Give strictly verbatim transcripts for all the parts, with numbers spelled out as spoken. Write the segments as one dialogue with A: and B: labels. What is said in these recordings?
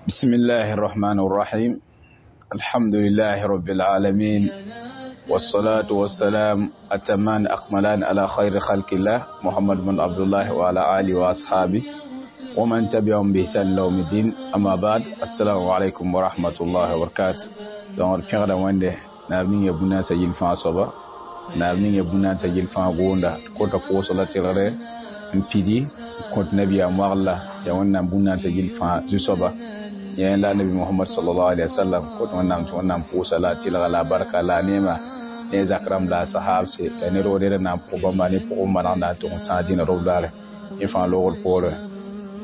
A: بسم الله الرحمن الرحيم الحمد لله رب العالمين والصلاة والسلام أتمان أكملان على خير خلق الله محمد بن عبد الله وعلى آله وأصحابه ومن تبعهم بإحسان إلى يوم الدين أما بعد السلام عليكم ورحمة الله وبركاته donc pẽgda wẽnde naab ning ya bũnaasã yɩl fãa soaba naab ning ya bũnaasã yɩl fãa goonda kota koosg la tɩlgre n pidi n kõt nabiyaam wagl-la yaa wẽnnaam bũnaasã yɩl fãa zu-soaba yẽ la nabi Muhammad sallallahu alaihi wasallam kot wẽnnaam tɩ wẽnnaam pʋʋsa la a tɩlga la a barka la a neema ne a zak rãmb la a sahabse la ne roog ned n na n pʋg bãmba ne pʋgẽ maneg na n tʋg n tãag dĩnã rob daare yẽ fãa loogr poorẽ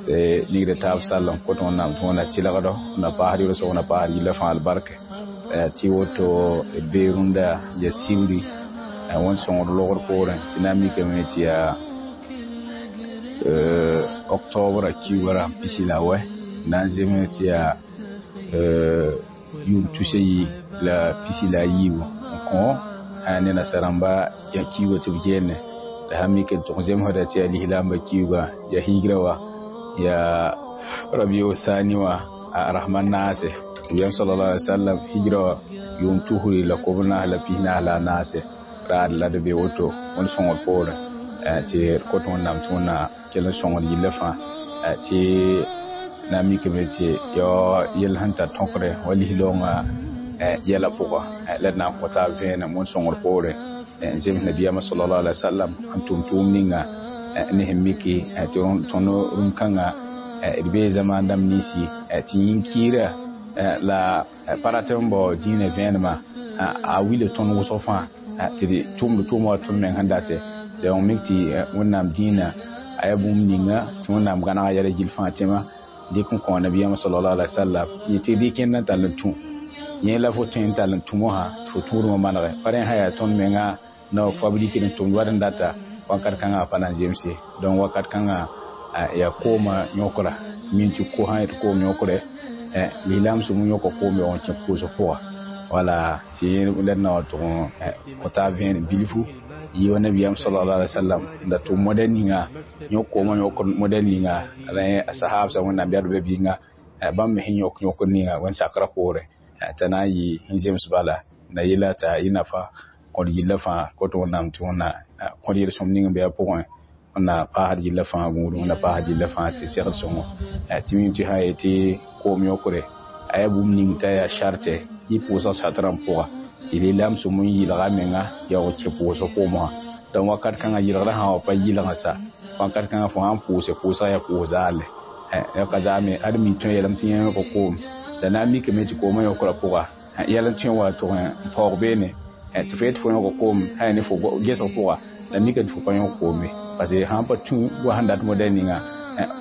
A: tɩ nigd taab sall n kot wẽnnaam tɩ wẽnna tɩlgdo na paasd yʋlsg na paasd yilla fãa albarka tɩ woto d bee rũndã ya sibri wẽnd sõngd loogr poorẽ tɩ na n mikame tɩ yaa octobre kiuga pisi la wɛ na n zems tɩ yaa yʋʋm tus a yi la pisi la a yiibu n kõ ne nasarãmba kiuga tɩ b geene la sã mik n tʋg zemsda tɩ yaa lislaambã kiuga yaa higra wã yaa rabiu sani wã a rahman naase wiyam sallallahu alaihi wasallam hijra wã yʋʋm tusri la kob naas la pis naas la a naase raad la d be woto wẽnd sõngr poorẽ tɩ d kot wẽnnaam tɩ wẽnna kell n sõngd yilla fãa tɩ na n mikame tɩ yao yell sẽn tar tõkre wa lislaoongã yɛla pʋga la d na n kõ taab vẽenem wẽnd sõngr poorẽ n zems nabiyaamã sallallahu alaihi wasallam n tʋm tʋʋm ninga ne sẽn miki tɩ tõnd rũm-kãngã d bee zamaan dãmb ninsi tɩ yĩn-kiirã la pa rat n bao dĩinã vẽenemã a wila tõnd wʋsg fãa tɩ d tʋmd tʋʋma wa tõnd meng sẽn date donc mik tɩ wẽnnaam dĩinã a yaa bũmb ninga tɩ wẽnnaam gãnega yɛla gill fãa tẽma dɩk n kõ nabiyaamã sallallahu alaihi wasallam yẽ tɩ rɩk n tall n tũ yẽ la fo tõe n tall n tũ mosã tɩ fo tũudmã manege pa rẽ sã yaa tõnd menga na fabrike n tʋmd wat n data wakat kãngã pa na n zemse donc wakat kãngã yaa koomã yõkra tɩ min tɩ ko sã yetɩ koom yõkre lislaam sũm yõka koom yaoog n kẽ pʋʋsg pʋga wala tɩ la d na wa tʋg n kõ taab vẽenem bilfu yɩ wa nabiyaam sallallahu alaihi wasallam n da tʋm modɛl ninga yõk koomã yõk modɛl ninga la a sahabsã wẽnnaam bɛd be bɩnga bãmb me sẽn yõk yõkr ninga wẽnd sakrã poorẽ t'a na n yɩ sẽn zems bala na yella t'a yɩ nafa kõd yilla fãa kot wẽnnaam tɩ wẽnna kõd yel-sõm ning n be a pʋgẽ wẽnna paasd yilla fãa gũudum wẽnna paasd yilla fãa tɩ segd sõngo tɩ mim tɩ sã yetɩ koom yõkre a yaa bũmb ning t'a yaa sarte yɩ pʋʋsg satrã pʋga tɩ lislaam sũm n yɩlga a menga yaoog kẽ pʋʋsg koomã donc wakat kãngã yɩlgrã sã wa pa yɩlgã sa wakat kãngã fo sã n pʋʋse pʋʋsga yaa pʋʋs zaale ka zaame ad mi tõe yeelame tɩ yẽ yõka koom la na n mikame tɩ koomã yõkrã pʋga yɛl n tõe n wa tʋg n paoog beene tɩ fo yetɩ fo yõka koom sã yaa ne fo gesg pʋga la mika tɩ fo pa yõk koome parce que sãn pa tũ wa sẽn dat modɛl ninga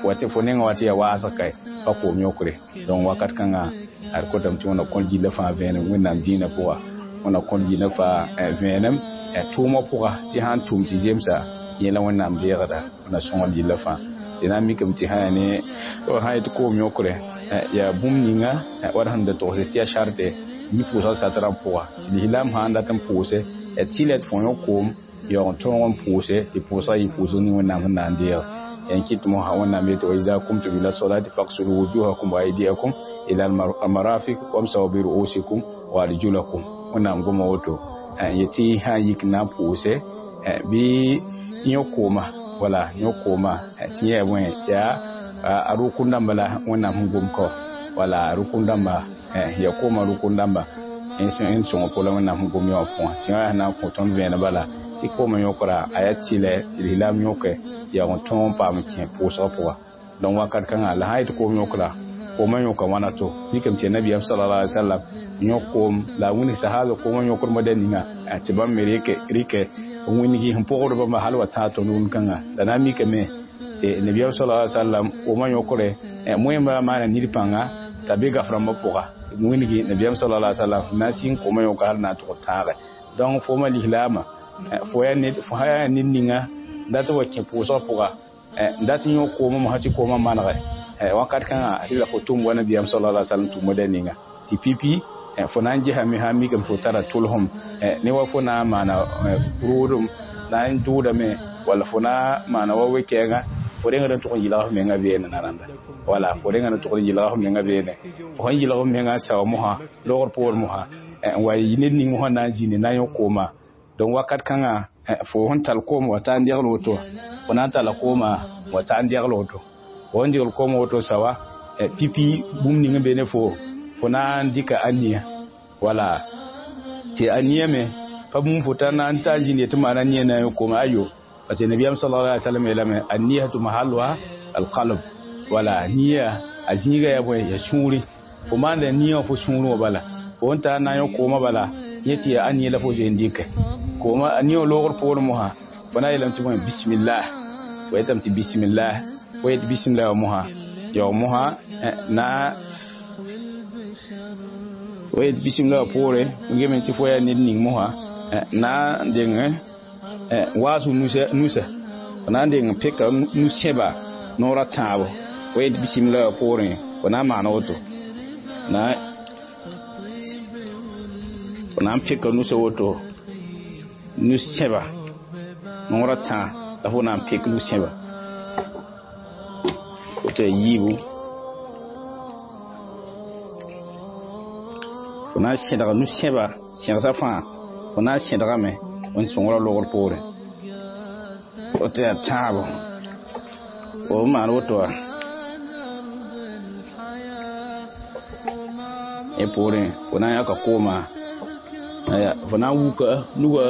A: fo tɩ fo nengã wa tɩ yaa waasg kae pa koom yõkre donc wakat kãngã ad kotame tɩ wẽnna kõt gilla fãa vẽenem wẽnnaam dĩinã pʋga wẽnna kõt gilla fãa vẽenem tʋʋmã pʋga tɩ sãn tʋm tɩ zemsa yẽ la wẽnnaam deegda wẽnna sõngd yilla fãa tɩ na n mikame tɩ sã yaa ne sã yetɩ koom yõkre yaa bũmb ninga wad sẽn da togs tɩ yaa sarte yɩ pʋʋsg satrã pʋga tɩ lislaam sã n dat n pʋʋse tɩ la tɩ fo yõk koom yaoog n tõog n pʋʋse tɩ pʋʋsga yɩ pʋʋsg ning wẽnnaam sẽn na n deeg n kɩt mosã wẽnnaam yetɩ wa iza kumtum ila solati fagsulu wujuhakum wa aydiyakum ila almarafiq wamsahu bi ru'usikum wa arjulakum wẽnnaam goma woto yetɩ sã n yik n na n pʋʋse bɩ yõk kooma wala yõk kooma tɩ yã bõe yaa a rʋkʋn dãmba la wẽnnaam sẽn gom ka wala a rʋkʋn dãmba ya kooma rʋkʋn dãmba n sõng pʋla wẽnnaam sẽn gom yã wã pʋgẽ tɩ yã na n kõ tõnd vẽene bala tɩ koomã yõkra a yaa tɩlɛ tɩ lislaam yõke yaoog n tõog n paam kẽ pʋʋsgã pʋga donc wakat kãngã la sã yetɩ koom yõkra koomã yõka wãna to mikame tɩ nabiyaam sallallahu alaihi wasallam yõk koom la a wilg sahaba koomã yõkr modɛl ninga tɩ bãmb me rɩkɛ n wilgi sẽn pʋgd bãmba hal wa tãag tõnd rũn-kãngã la na n mikame tɩ nabiyaam sallallahu alaihi wasallam koomã yõkre moẽmba maana nid pãnga t'a be gaf-rãmbã pʋga tɩ wilgi nabiyaam sallallahu alaihi wasallam na n sĩng koomã yõka hal na n tʋg tãage donc fo ma lislaamã fo yaa ned fo sã yaa ned ninga n dat n wa kẽ pʋʋsgã pʋga n dat n yõk koomã mosã tɩ koomã manege wakat kãngã rɩla fo tʋm wa nabiyaam sallallahu alaihi wasallam tʋm modɛl ninga tɩ pipi fo na n gesame sã n mikame fo tara tʋlsem ne wa fo na n maana rʋʋdem na n dʋʋdame walla fo na n maana wa we-kɛɛngã fo Fo rẽngd n tʋg n yɩlg f menga beene na rãnda wala fo rẽngd n tʋgd n yɩlg f menga beene fo sẽn yɩlg f menga n sao mosã logr poor mosã n wa yɩ ned ning mosã na n zĩndi na n yõ kooma donc wakat kãngã fo sẽn tall koom wa ta n degl woto fo na n talla kooma wa ta n degl woto fo sẽn degl koom woto sawa pipi bũmb ning n be ne fo fo na n dɩka ania wala tɩ ania me pa bũmb fo t'a na n ta n zĩnd tɩ maana nia na n yõ kooma ayo parce que nabiyam sallallahu alaihi wasallam yeelame anniyatu mahalluha alqalb wala nia a zĩiga yaa bõe ya sũuri fo maanda nia wã fo sũurẽ wã bala fo sẽn tar na n yõ kooma bala yẽ tɩ yaa ania la fo zoe n dɩkɛ kooma a nia wã loogr poorẽ mosã fo na n yeelame tɩ bõe bismillah fo yetame tɩ bismillah fo yet bismillah wã mosã yaoog mosã na fo yet bismillah wã poore geme tɩ fo yaa ned ning mosã na n deng waasg nusa fo na n deng peka nu-sẽba noora tãabo fo yet bismillah wã poorẽ fo na n maana woto na fo na n peka nusa woto nu-sẽba noora tã la fo na n pek nu-sẽba woto ya yiibu fo na n sẽdga nu-sẽba sẽgsa fãa fo na n sẽdgame n sõngra logr poorẽ woto yaa tãabo fo maan woto wã yẽ poorẽ fo na n yãka kooma fo na n wuka nuga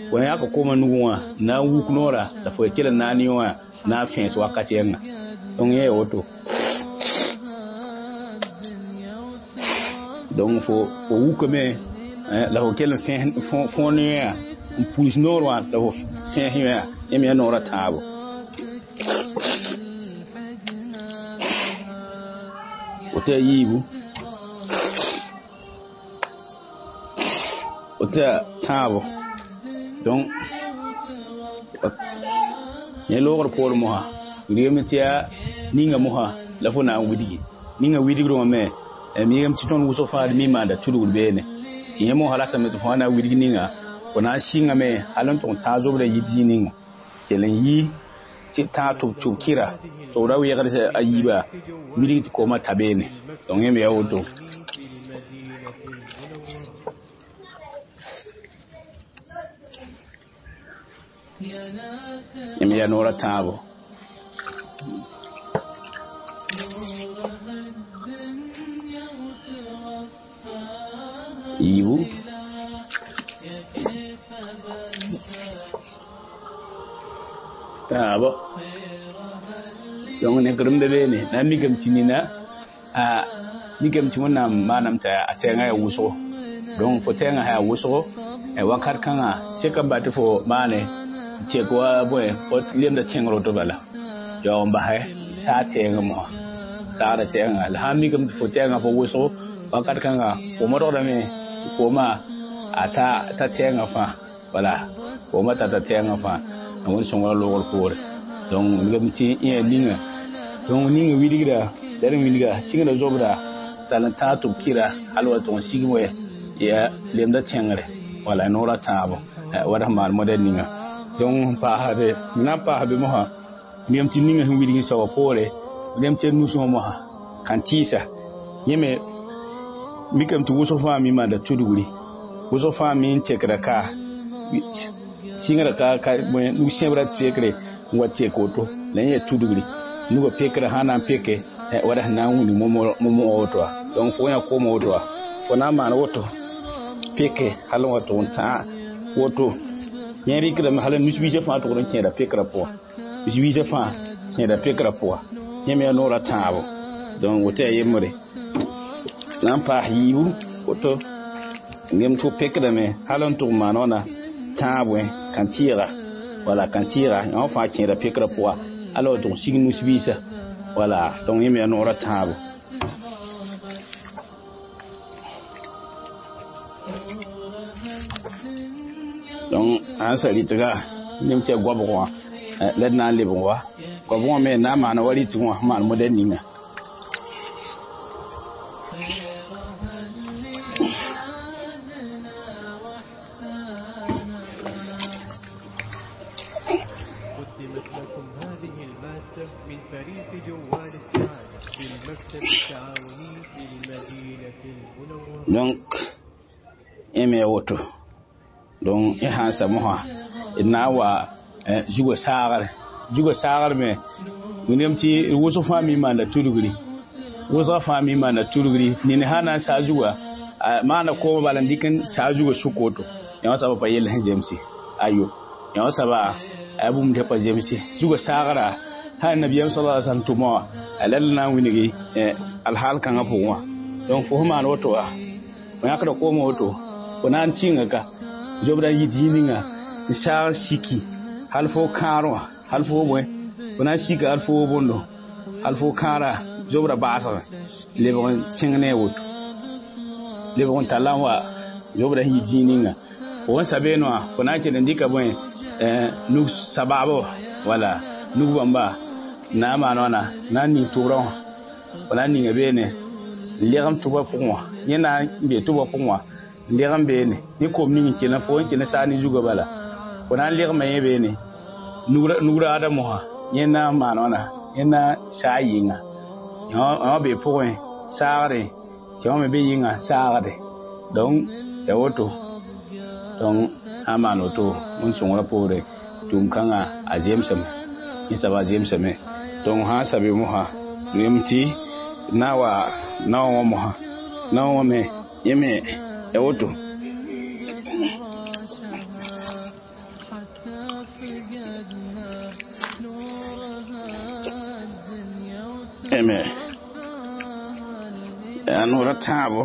A: fo na n yãka kooma nugẽ wã na n wuk noora la fo kell n na n yõ wã na n fẽes wakat yɛnga donc yẽ ya woto donc fo fo wukame la fo kell n fõor ne yã n puis noor wã la fo fẽes yã yẽ me yaa noora tãabo woto yaa yiibu woto yaa tãabo donc yẽ loogr poor mosã wilgame tɩ yaa ninga mosã la fo na n widgi ninga widgrẽ wã me migame tɩ tõnd wʋsg fãa d mi maanda tudgr beene tɩ yẽ mosã ratame tɩ fo na n widg ninga fo na n sɩngame hal n tʋg n tãag zobrã yit zĩig ninga kell n yi tɩ tãag tʋb tʋb kɩra tɩ b ra wegd a yiiba wilg tɩ koomã ta beene donc yẽ me yaa woto yẽ me yaa noorã tãabo yiibu tãabo donc nekd n be beene na n mikame tɩ nina a mikame tɩ wẽnnaam maanam t'a a tɛɛngã yaa wʋsgo donc fo tɛɛngã sã yaa wʋsgo wakat kãngã seka n ba tɩ fo maane n tek wa bõe fo lemda tẽngr woto bala yaoog n basɛ saa tɛɛngã mosã saagda tɛɛngã la sã n mikame tɩ fo tɛɛngã fo wʋsgo wakat kãnga fo modgdame tɩ koomã a ta ta tɛɛngã fãa wala koomã tata tɛɛngã fãa n wẽnd sõngra loogr poore donc wilgame tɩ yẽ ninga donc ninga wilgra la d wilga sɩngda zobra tall n tãag tɩ b kɩra hal wa tʋg n sigm wɛ yaa lemda tẽngre wala noora tãabo wa d sẽn maan modɛl ninga donc n paasde na n paas be mosã wilgame tɩ ninga sẽn wilg n saoa poore wilgame tɩ nusẽ wã mosã kãn tɩɩsa yẽ me mikame tɩ wʋsg fãa mi maanda tudgri wʋsg fãa mi n tekda ka sɩngra ka ka nug sẽbra pekre n wa tek woto la yẽ yaa tudgri nugã pekra sã na n peke wala sẽn na n wilg momo woto wã donc fo yã kooma woto wã fo na n maan woto peke hal n wa tʋg n tãag woto yẽ rɩkdame hal nus-biisã fãa tʋgd n kẽeda pekrã pʋga nus-biisã fãa kẽeda pekrã pʋga yẽ me yaa noorã tãabo donc woto yaa yembre na n paas yiibu woto gem tɩ fo pekdame hal n tʋg n maan wãna tãab wẽ kãn-tɩɩga wala kãn-tɩɩga yã wã fãa kẽeda pekrã pʋga ala wa tʋg n sig nus-biisã wala donc yẽ me yaa noorã tãabo donc sãn sa rɩtga nem tɩ yaa goabg wã la d na n lebg wa goabg wã me na n maana wa rɩtg wã sẽn maan modɛl ninga
B: قدمت لكم هذه المادة
A: Donc yẽ me woto. Donc y sãn sa mosã d na n wa zugã saagre zugã saagr me wĩndame tɩ wʋsg fãa mi maanda tudgri wʋsga fãa mi maanda tudgri nina sã na n saa zugã maana koomã bala n dɩk n saa zugã sʋk woto yã wã soaba pa yell sẽn zemse ayo yã wã soaba a bũmb tɩ pa zemse zugã saagra sã nabiyaam sala sallam tʋma wã a la na n wilgi alhaal kãngã pʋgẽ wã. Donc fo sẽn maan woto wã fo yãkda koomã woto fo na n tĩnga ka zobda n yit zĩig ninga n saag siki hal fo kãar wã hal fo bõe fo na n sika hal fo bõndo hal fo kãara zobra baasgẽ lebg n kẽng ne a woto lebg n talla n wa zobra sẽn yit zĩig ninga fo sẽn sa beene wã fo na n kell n dɩka bõe nug sabaabo wala nug bãmba na n maan wãna na n ning tʋbrã wã fo na n ninga beene n legem tʋba pʋgẽ wã yẽ na n be tʋba pʋgẽ wã n legem beene ne kom ning n kell n fo n kell n saag ne zugã bala fo na n legma yẽ beene nug raada mosã yẽ na n maan wãna yẽ na saa yɩnga yã wã be pʋgẽ saagre tɩ wã me be yɩnga saagde. Donc ya woto donc sã n maan woto wẽn sõngrã poore tʋʋm-kãngã a zemsame yẽ soaba a zemsame. Donc sã n sabe mosã yem tɩ na wa naoã wã mosã naoã wã me yẽ me ya woto eme yaa noora tãabo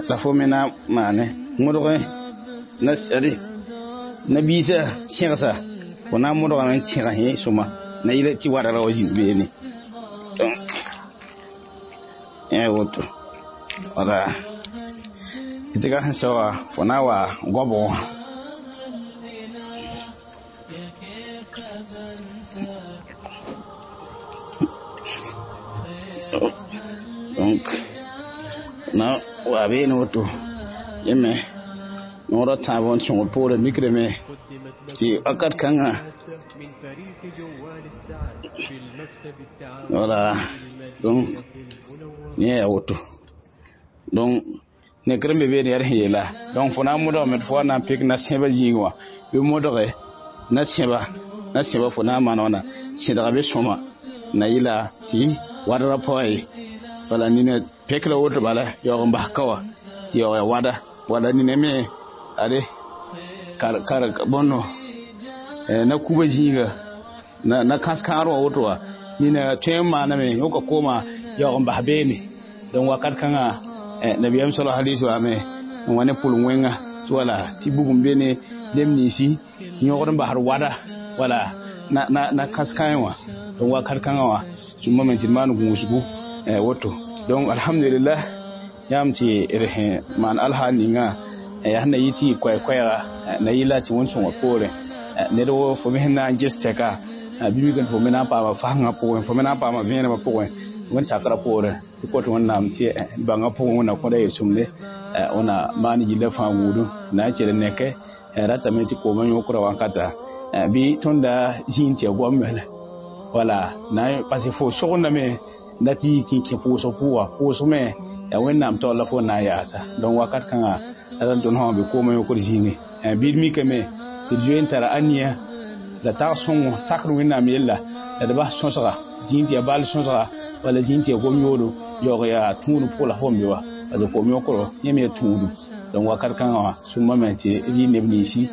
A: la fo me na maane modg na sɛde nabiisã sẽgsa fo na n modgame n tẽg yẽ sõma na yɩla tɩ wargra wa zĩnd beene. Donc yẽ woto wala tɩ ka sẽn saoga fo na wa goabg wã. Donc na wa beene woto yẽ me noorã tãab n sõgr poorã mikrame tɩ wakat kãngã wala donc yẽ yaa woto. Donc nekr n be beene yaa d sẽn yeela donc fo na n modgame tɩ fo wa na n pek na-sẽbã zĩig wã bɩ modge na-sẽba na-sẽba fo na n maan wãna sẽdga be sõma na yɩla tɩ wadrã pa ye wala nina pekra woto bala yaoog n bas ka wã tɩ yaoog ya wada wala nina me ade kar kar bõndo na kuba zĩiga na na kãs-kãar wã woto wã nina tõe n maaname yõka kooma yaoog n bas beene. Donc wakat kãngã nabiyaam sala alaihi wasallam n wa ne pʋlem wẽnga tɩ wala tɩ bugum be ne neb ninsi yõgd n basd wada wala na na na kãs-kãe wã. Donc wakat kãngã wã sũmame tɩ d maan gũusgu woto. Donc alhamdulillah yãmb tɩ d sẽn maan alhaal ninga yaa sẽn na yɩ tɩ yɩ koɛɛ-koɛɛga na yɩla tɩ wẽn-sõngã poorẽ ned wo fo me sẽn na n ges tɛka bɩ mikame fo me na n paama fasengã pʋgẽ fo me na n paama vẽenemã pʋgẽ wẽnd sakrã poorẽ tɩ kõt wẽnnaam tɩ bãngã pʋgẽ wẽnna kõda yel-sõmde wẽna maan yilla fãa wuudu na n kell n neke ratame tɩ koomã yõkra wankata bɩ tõnd da zĩig tɩ ya goam mel wala na parce que fo sogndame na tɩ yik n kẽ pʋʋsg pʋʋga pʋʋsg me yaa wẽnnaam taoor la fo na n yaasa. Donc wakat kãngã la tõnd sã be koomã yõkr zĩigẽ bɩ d mikame tɩ d zoe n tara aniya la tag sõngo takd wẽnnaam yella la d bas sõsga zĩig tɩ yaa bal sõsga wala zĩig tɩ yaa gom yoodo yaoog yaa tũudum pʋg la fo n be wa parce que koom yõkro yẽ me yaa tũudum. Donc wakat kãngã wã sũmame tɩ d yɩ neb ninsi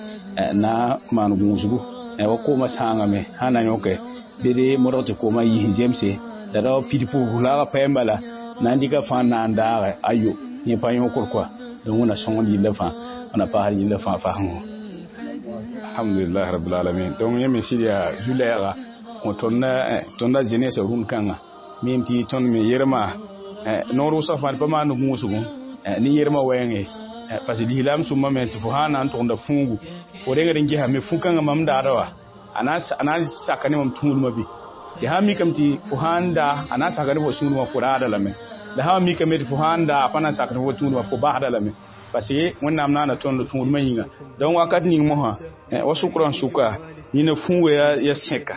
A: na n maan gũusgu wa koomã sãangame sã na yõke bɩ d modg tɩ koomã yis zemse la ra pid pʋgl la pa yẽmba la na n dɩka fãa na n daage ayo yẽ pa yõkr koa. Donc wẽna sõngd yilla fãa wẽna paasd yilla fãa fasengõ. Alhamdulillah rabbil alamin. Donc yẽ me sɩd yaa zu-lɛɛga kõ tõnd jeunesse rũnd kãnga mim tɩ tõnd me yerma noor wʋsg fãa d pa maan gũusgu ne yermã wɛɛngẽ parce que lislaam sũmame tɩ fo sã na n tʋgenda fũugu fo rengd n gesame fũ-kãngã mam daada wa a na n saka ne mam tũudmã bɩ tɩ sã n mikame tɩ fo sã n da a na n saka ne fo sũudmã fo raada lame la sã n mikame tɩ fo sã n da a pa na n sak ne fo tũudmã fo basda lame parce que wẽnnaam naana tõnd tũudmã yĩnga. Donc wakat ning mosã wa sʋkrã n sʋka nina fũuga ya sẽka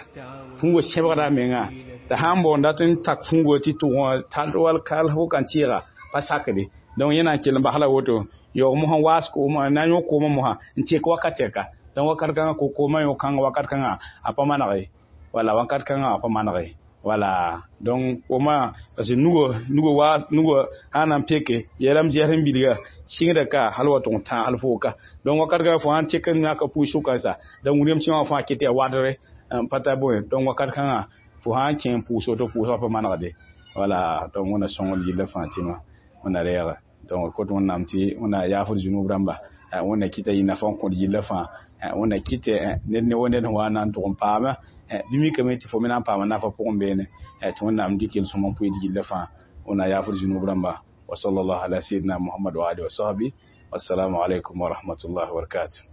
A: fũuga sẽbgda a menga tɩ sã n baoond dat n tak fũuga tɩ tʋg wã tall wal kal fo kan tɩɩga Pa sakde. Donc yẽna n kell n basla woto yaoog mosã waas koomã na n yõ koomã mosã n tek wakat tɛka. Donc wakat kãngã ko-koomã yõ kãnga wakat kãngã a pa maneg ye, wala wakat kãngã a pa maneg ye. Wala donc koomã, parce que nugo nugo waas nugo sã n na n peke yeelame zɛs n bilga sɩngda ka hal wa tʋg n tãag hal foo ka. Donc wakat kãngã fo sã n tek n yãka pʋʋs sʋka sa, donc william sẽn wã fãa ket yaa wadre n pa tar bõe. Donc wakat kãngã fo sã n kẽ n pʋʋs woto, pʋʋsgã pa manegde. Wala donc Wẽnna sõngr yilla fãa tɩma Wẽnna reega. Donc d kot Wẽnnaam tɩ Wẽnna yaafd zũnub rãmba, Wẽnna kɩta yɩ nafa n kõt yilla fãa, Wẽnna kɩtɛ ned ne wa ned sẽn wa n na n tʋg n paama bɩ mikame tɩ fo me na n paama nafa pʋgẽ beene, tɩ Wẽnnaam dɩk yel-sõm n pʋɩ d yilla fãa. Wẽnna yaafd zũnub rãmba. Wa sallallahu ala sayyidina Muhammad wa alihi wa sahbihi. Wassalamu alaikum wa rahmatullahi wa barakatuh.